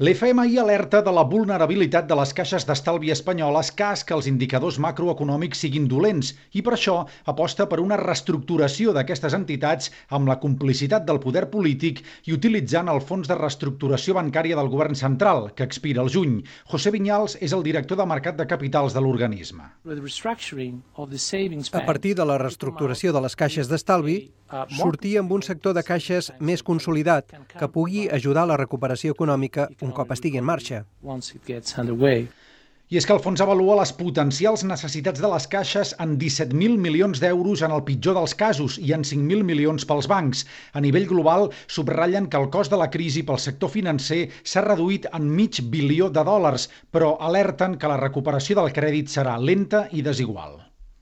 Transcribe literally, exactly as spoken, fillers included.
L'F M I alerta de la vulnerabilitat de les caixes d'estalvi espanyoles cas que els indicadors macroeconòmics siguin dolents i per això aposta per una reestructuració d'aquestes entitats amb la complicitat del poder polític i utilitzant el Fons de Reestructuració Bancària del Govern Central, que expira el juny. José Viñals és el director de Mercat de Capitals de l'organisme. A partir de la reestructuració de les caixes d'estalvi, sortir amb un sector de caixes més consolidat que pugui ajudar a la recuperació econòmica un cop estigui en marxa. I és que el fons avalua les potencials necessitats de les caixes en disset mil milions d'euros en el pitjor dels casos i en cinc mil milions pels bancs. A nivell global, subratllen que el cost de la crisi pel sector financer s'ha reduït en mig bilió de dòlars, però alerten que la recuperació del crèdit serà lenta i desigual.